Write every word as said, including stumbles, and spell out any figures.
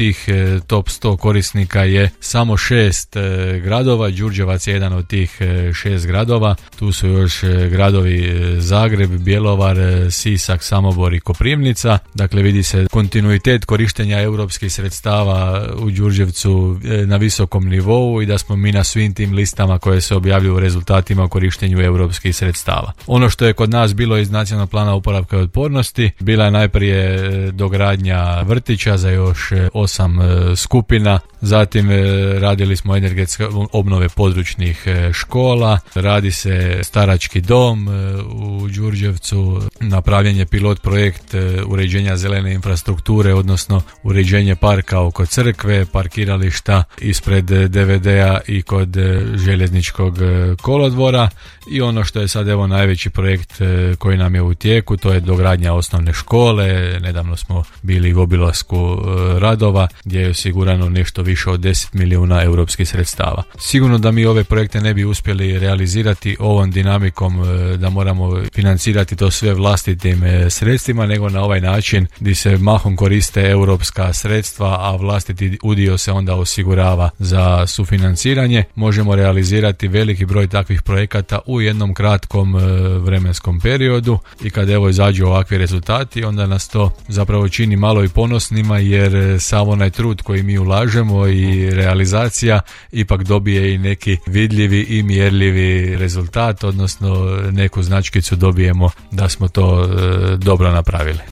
tih top sto korisnika je samo šest gradova, Đurđevac je jedan od tih šest gradova, tu su još gradovi Zagreb, Bjelovar, Sisak, Samobor i Koprivnica. Dakle, vidi se kontinuitet korištenja europskih sredstava u Đurđevcu na visokom nivou i da smo mi na svim tim listama koje se objavljuju u rezultatima o korištenju europskih sredstava. Ono što je kod nas bilo iz Nacionalnog plana oporavka i otpornosti, bila je najprije dogradnja vrtića za još osam skupina, zatim radili smo energetske obnove područnih škola, radi se starački dom u Đurđevcu, napravljen je pilot projekt uređenja zelene infrastrukture, odnosno uređenje parka oko crkve, parkirališta ispred D V D-a i kod željezničkog kolodvora i ono što je sad evo najveći projekt koji nam je u tijeku, to je dogradnja osnovne škole. Nedavno smo bili u obilasku radova gdje je osigurano nešto više od deset milijuna europskih sredstava. Sigurno da mi ove projekte ne bi uspjeli realizirati ovom dinamikom da moramo financirati to sve vlastitim sredstvima, nego na ovaj način gdje se mahom koriste europska sredstva, a vlastiti udio se onda osigurava za sufinanciranje. Možemo realizirati veliki broj takvih projekata u jednom kratkom vremenskom periodu i kad evo izađu ovakvi rezultati, onda nas to zapravo čini malo i ponosnima, jer sav onaj trud koji mi ulažemo i realizacija ipak dobije i neki vidljivi i mjerljivi rezultat, odnosno neku značkicu dobijemo da smo to e, dobro napravili.